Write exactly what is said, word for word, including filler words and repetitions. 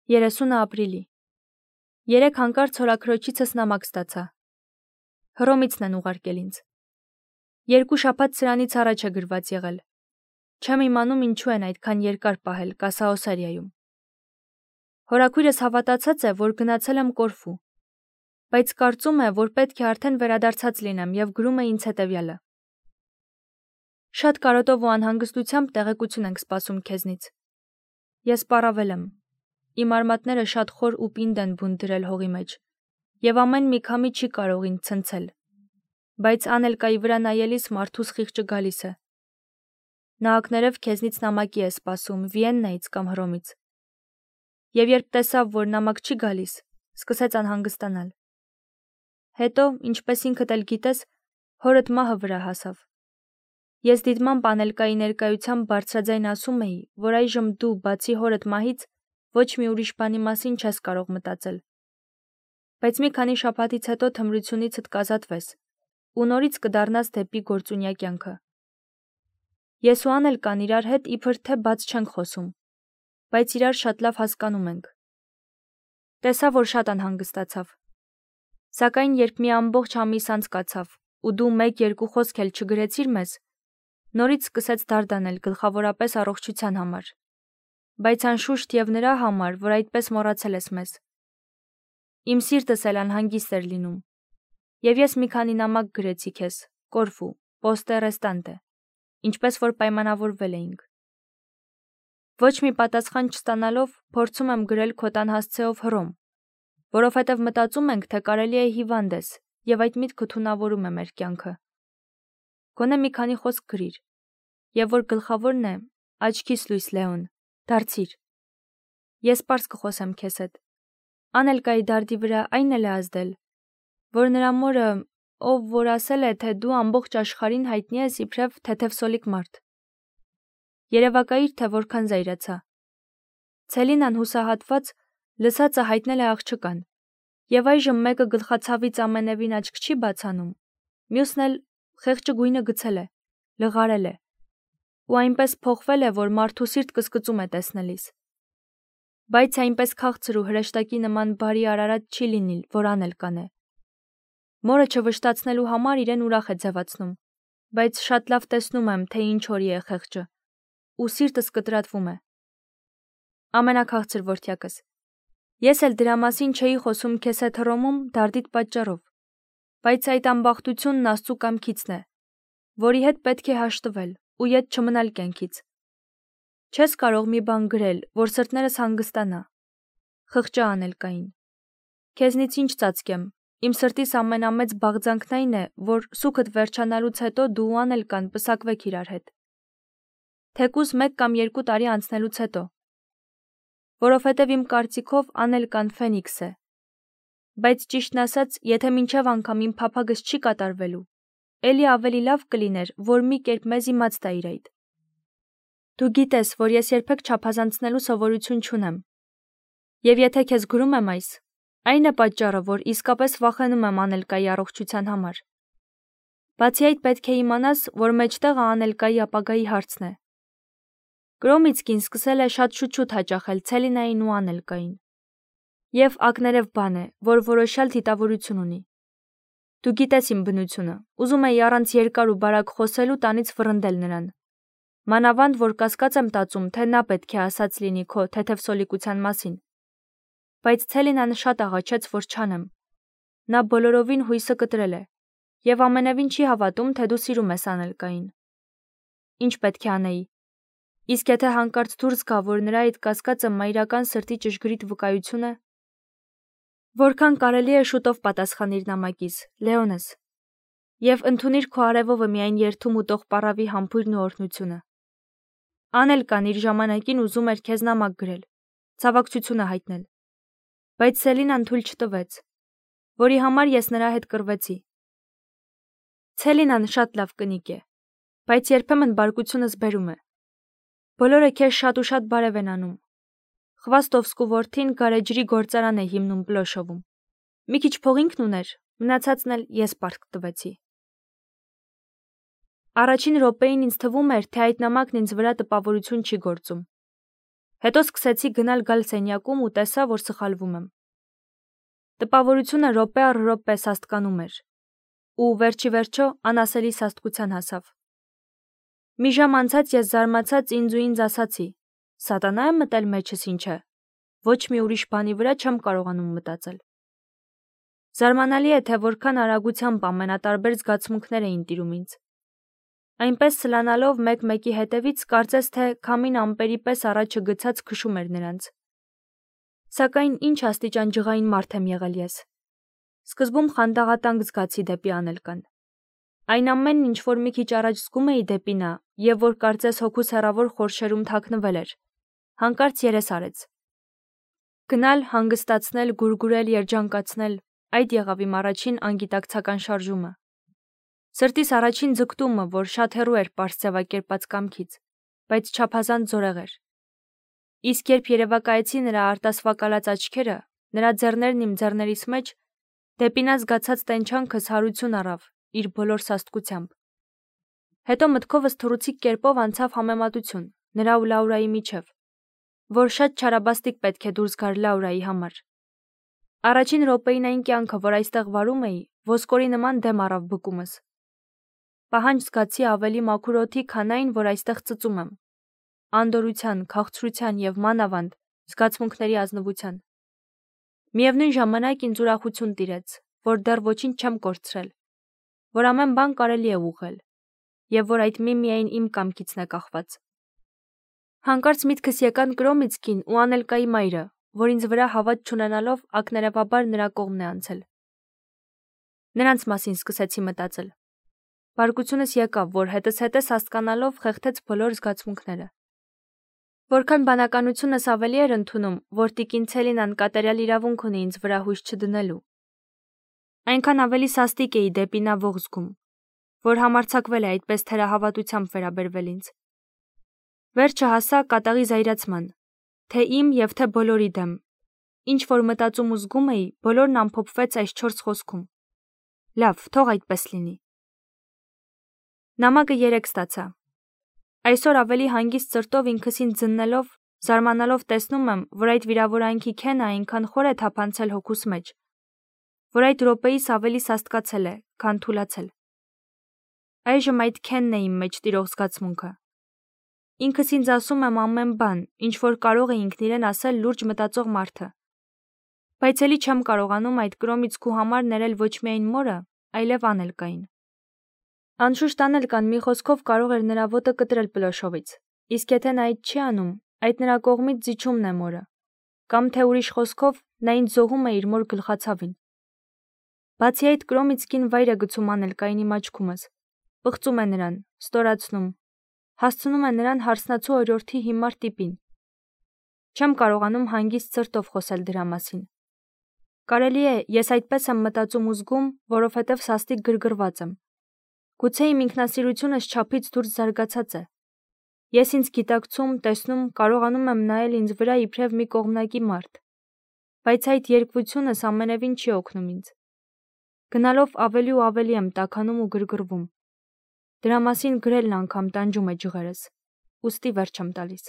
երեսունը ապրիլի։ Երեք հանկարծ հորաքրոջիցս նամակ ստացա։ Հռոմիցն են ուղարկել ինձ։ Երկու շաբաթ սրանից առաջ է գրված եղել։ Չեմ իմանում ինչու են այդքան երկար պահել Կասաոսարիայում։ Հորաքույրս հավատացած է, որ գնացել եմ Կորֆու, բայց կարծում է, որ պետք է արդեն վերադարձած լինեմ եւ գրում է ինձ հետեւյալը. Շատ կարոտով ու անհանգստությամբ տեղեկություն ենք սպասում քեզնից։ Ես պառավել եմ։ Իմ արմատները շատ խոր ու պինդ են բուն դրել հողի մեջ, եւ ամեն մի քամի չի կարող ինձ ցնցել, բայց Անելկայի վրա նայելիս մարդուս խիղճը գալիս է։ Նահակներով քեզնից նամակի է սպասում Վիեննայից կամ Հռոմից։ Եվ երբ տեսավ, որ նամակ չի գալիս, սկսեց անհանգստանալ։ Հետո, ինչպես ինքդ էլ գիտես, հորդ մահը վրա հասավ։ Ես դիտմամբ Անելկայի ներկայությամբ բարձրաձայն ասում էի, որ այժմ դու, բացի հորդ մահից, ոչ մի ուրիշ բանի մասին չես կարող մտածել։ Բայց մի քանի շաբաթից հետո թմրությունիցդ կազատվես ու նորից կդառնաս դեպի գործունյա կյանքը։ Ես ու Անելկան իրար հետ իբր թե բաց չենք խոսում, բայց իրար շատ լավ հասկանում ենք։ Տեսա, որ շատ անհանգստացավ։ Սակայն երբ մի ամբողջ ամիս անցկացավ ու դու մեկ-երկու խոսք էլ չգրեցիր մեզ, նորից սկսեց դարդանել գլխավորապես առողջության համար, բայց անշուշտ եւ նրա համար, որ այդպես մոռացել ես մեզ։ Իմ սիրտս էլ անհանգիստ էր լինում, եւ ես մի քանի նամակ գրեցի քեզ, Կորֆու, Պոստե Ռեստանտե, ինչպես որ պայմանավորվել էինք։ Ոչ մի պատասխան չստանալով փորձում եմ գրել քո տան հասցեով Հռոմ, որովհետև մտածում ենք, թե կարելի է հիվանդ ես, եւ այդ միտքը թունավորում է մեր կյանքը։ Գոնե մի քանի խոսք գրիր, եւ որ գլխավորն է, աչքիս լույս Լեոն, դարձիր։ Ես պարզ կխոսեմ քեզ հետ։ Անելկայի դարդի վրա այն էլ է ազդել, որ նրա մորը, ով որ ասել է, թե դու ամբողջ աշխարհին հայտնի ես իբրև թեթևսոլիկ մարդ։ Երևակայիր, թե որքան զայրացա։ Ցելինան հուսահատված լսածը հայտնել է աղջկան, եւ այժմ մեկը գլխացավից ամենևին աչք չի բացանում, մյուսն էլ խեղճը գույնը գցել է, լղարել է, ու այնպես փոխվել է, որ մարդու սիրտ կսկծում է տեսնելիս։ Բայց այնպես քաղցր ու հրեշտակի նման բարի արարած չի լինի, որ Անելկան է։ Մորը չվշտացնելու համար իրեն ուրախ է ձևացնում, բայց շատ լավ տեսնում եմ, թե ինչ օրի է խեղճը, ու սիրտս կտրատվում է։ Ամենաքաղցր որդյակս։ Ես էլ դրա մասին չէի խոսում քեզ հետ Հռոմում դարդիդ պատճառով, բայց այդ ամբախտությունն Աստծու կամքիցն է, որի հետ պետք է հաշտվել ու ետ չմնալ կյանքից։ Չես կարող մի բան գրել, որ սրտներս հանգստանա։ Խղճա Անելկային։ Քեզնից ինչ ծածկեմ, իմ սրտիս ամենամեծ բաղձանքն այն է, որ սուքդ վերջանալուց հետո դու ու Անելկան պսակվեք իրար հետ։ Թեկուզ մեկ կամ երկու տարի անցնելուց հետո։ Որովհետև իմ կարծիքով Անելկան Ֆենիքս է։ Բայց ճիշտն ասած, եթե մինչև անգամ իմ փափագս չի կատարվելու, էլի ավելի լավ կլիներ, որ մի կերպ մեզ իմաց տա իր այդ։ Դու գիտես, որ ես երբեք չափազանցնելու սովորություն չունեմ։ Եվ եթե քեզ գրում եմ այս, այն է պատճառը, որ իսկապես վախենում եմ Անելկայի առողջության համար։ Բացի այդ պետք է իմանաս, որ մեջտեղը Անելկայի ապագայի հարցն է։ Կրոմիցկին սկսել է շատ շուտ-շուտ հաճախել Ցելինային ու Անելկային։ Եվ ակներև բան է, որ որոշյալ թիթավորություն ունի։ Դու գիտես իմ բնությունը, ուզում էի առանց երկար ու բարակ խոսելու տանից վռնդել նրան։ Մանավանդ, որ կասկած եմ տածում, թե նա պետք է ասած լինի քո թեթևսոլիկության մասին։ Բայց Ցելինան շատ աղաչեց, որ չանեմ։ Նա բոլորովին հույսը կտրել է, եւ ամենևին չի հավատում, թե դու սիրում ես Անելկային։ Ինչ պետք է անեի։ Իսկ եթե հանկարծ դուրս գա, որ նրա այդ կասկածը մայրական սրտի ճշգրիտ վկայություն է։ Որքան կարելի է շուտով պատասխանիր նամակիս, Լեոնս, եւ ընդունիր քո արևովը միայն երթում ու տող պառավի համբույրն ու օրհնությունը։ Անելկան իր ժամանակին ուզում էր քեզ նամակ գրել, ցավակցությունը հայտնել, բայց Ցելինան թույլ չտվեց, որի համար ես նրա հետ կռվեցի։ Ցելինան շատ լավ կնիկ է, բայց երբեմն բարկությունս բերում է։ Բոլորը քեզ շատ ու շատ բարև են անում։ Խվաստովսկու որդին գարեջրի գործարան է հիմնում Պլոշովում։ Մի քիչ փող ինքն ուներ, մնացածն էլ ես պարտք տվեցի։ Առաջին րոպեին ինձ թվում էր, թե այդ նամակն ինձ վրա տպավորություն չի գործում։ Հետո սկսեցի գնալ-գալ սենյակում ու տեսա, որ սխալվում եմ։ Տպավորությունը րոպե առ րոպե սաստկանում էր, ու վերջի վերջո անասելի սաստկության հասավ։ Մի ժամ անցած ես զարմացած ինձ ու ինձ ասացի. «Սատանա է մտել մեջս ինչ է, ոչ մի ուրիշ բանի վրա չեմ կարողանում մտածել»։ Զարմանալի է, թե որքան արագությամբ ամենատարբեր զգացմունքներ էին տիրում ինձ։ Այնպես սլանալով մեկ-մեկի հետևից կարծես թե քամին ամպերի պես առաջը գցած քշում էր նրանց։ Սակայն ինչ աստիճան ջղային մարդ եմ եղել ես։ Սկզբում խանդաղատանք զգացի դեպի Անելկան։ Այն ամենն, ինչ որ մի քիչ առաջ զգում էի դեպի նա, եւ որ կարծես հոգուս հեռավոր խորշերում թաքնվել էր, հանկարծ երես արեց։ Գնալ, հանգստացնել, գուրգուրել, երջանկացնել, այդ եղավ իմ առաջին անգիտակցական շարժումը։ Սրտիս առաջին ձգտումը, որ շատ հեռու էր պարզ ձևակերպած կամքից, բայց չափազանց զորեղ էր։ Իսկ երբ երևակայեցի նրա արտասվակալած աչքերը, նրա ձեռներն իմ ձեռներիս մեջ, դեպի նա զգացած տենչանքս հարություն առավ իր բոլոր սաստկությամբ։ Հետո մտքովս թռուցիկ կերպով անցավ համեմատություն նրա ու Լաուրայի միջև, որ շատ չարաբաստիկ պետք է դուրս գար Լաուրայի համար։ Առաջին րոպեին այն կյանքը, որ այստեղ վարում էի, ոսկորի նման դեմ առավ բկումս։ Պահանջ զգացի ավելի մաքուր օդի, քան այն, որ այստեղ ծծում եմ։ Անդորրության, քաղցրության եւ մանավանդ զգացմունքների ազնվության։ Միևնույն ժամանակ ինձ ուրախություն տիրեց, որ դեռ ոչինչ չեմ կորցրել, որ ամեն բան կարելի է ուղղել, եւ որ այդ միմիայն իմ կամքիցն է կախված։ Հանկարծ միտքս եկան Կրոմիցկին ու Անելկայի մայրը, որ ինձ վրա հավատ չունենալով ակներևաբար նրա կողմն է անցել։ Նրանց մասին սկսեցի մտածել։ Բարկությունս եկավ, որ հետս հետս հասկանալով խեղդեց բոլոր զգացմունքները։ Որքան բանականությունս ավելի էր ընդունում, որ տիկին Ցելինան կատարյալ իրավունք ունի ինձ վրա հույս չդնելու, այնքան ավելի սաստիկ էի դեպի նա ողջ զգում, որ համարձակվել է այդպես թերահավատությամբ վերաբերվել ինձ։ Վերջը հասա կատաղի զայրացման, թե իմ եւ թե բոլորի դեմ։ Ինչ որ մտածում ու զգում էի, բոլորն ամփոփվեց այս չորս խոսքում. լավ, թող այդպես լինի։ Նամակը երեք ստացա։ Այսօր ավելի հանգիստ սրտով ինքս ինձ ձննելով, զարմանալով տեսնում եմ, որ այդ վիրավորանքի քենը այնքան խոր է թափանցել հոգուս մեջ, որ այդ րոպեիս ավելի սաստկացել է, քան թուլացել։ Այժմ այդ քենն է իմ մեջ տիրող զգացմունքը։ Ինքս ինձ ասում եմ ամեն բան, ինչ որ կարող է ինքն իրեն ասել լուրջ մտածող մարդը։ Բայց էլի չեմ կարողանում այդ Կրոմիցկու համար ներել ոչ միայն մորը, այլև Անելկային։ Անշուշտ Անելկան մի խոսքով կարող էր նրա ոտը կտրել Պլոշովից, իսկ եթե նա այդ չի անում, այդ նրա կողմից զիջումն է մորը, կամ թե ուրիշ խոսքով նա ինձ զոհում է իր մոր գլխացավին։ Բացի այդ Կրոմիցկին վայր է գցում Անելկային իմ աչքումս, պղծում է նրան, ստորացնում, հասցնում է նրան հարսնացու օրիորդի հիմար տիպին։ Չեմ կարողանում հանգիստ սրտով խոսել դրա մասին։ Կարելի է, ես այդպես եմ մտածում ու զգում, որովհետև սաստիկ գրգռված եմ։ Գուցե իմ ինքնասիրությունս չափից դուրս զարգացած է։ Ես ինձ գիտակցում, տեսնում, կարողանում եմ նայել ինձ վրա իբրև մի կողմնակի մարդ։ Բայց այդ երկվությունս ամենևին չի օգնում ինձ։ Գնալով ավելի ու ավելի եմ տաքանում ու գրգռվում։ Դրա մասին գրելն անգամ տանջում է ջղերս, ուստի վերջ եմ տալիս։